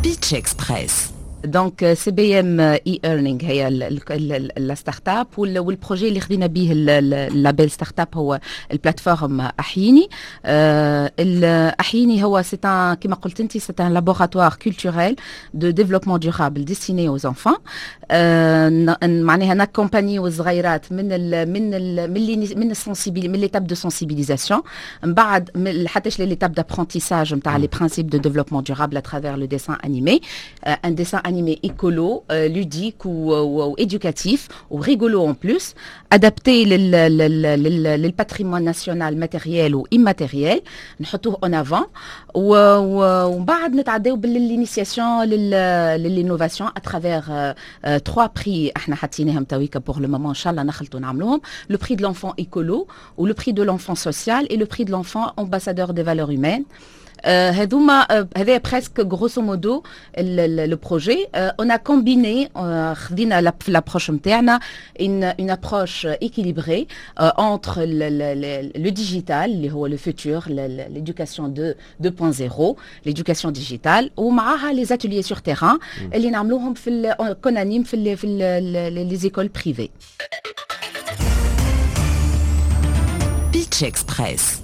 Pitch Express. donc CBM e-learning هي la startup، وال projet اللي خذينا به ال label startup هو ال plateforme احييني. احييني هو c'est كما قلت انت، c'est un laboratoire culturel de développement durable destiné aux enfants. معناها ن accompagner الصغيرات من ال من ال من من ال sensibil من l'étape de sensibilisation، من بعد حتى l'étape d'apprentissage نتاع les principes de développement durable à travers le dessin animé، un dessin animé écolo, ludique ou éducatif ou rigolo en plus، adapté لل patrimoine national matériel ou immatériel، نحطوه en avant، ومن بعد نتعداو بال initiation لل innovation à travers trois prix احنا حاطيناهم تويكا pour le moment، ان شاء الله نخلطوا نعملوهم: le prix de l'enfant écolo ou le prix de l'enfant social et le prix de l'enfant ambassadeur des valeurs humaines. هذوما هذا presque grosso modo le projet. on a combiné، خذينا l'approche نتاعنا une approche équilibrée entre le digital اللي هو le futur، l'éducation de 2.0، l'éducation digitale، ومعاها les ateliers sur terrain اللي نعملوهم في qu'on anime في les écoles privées. Pitch Express.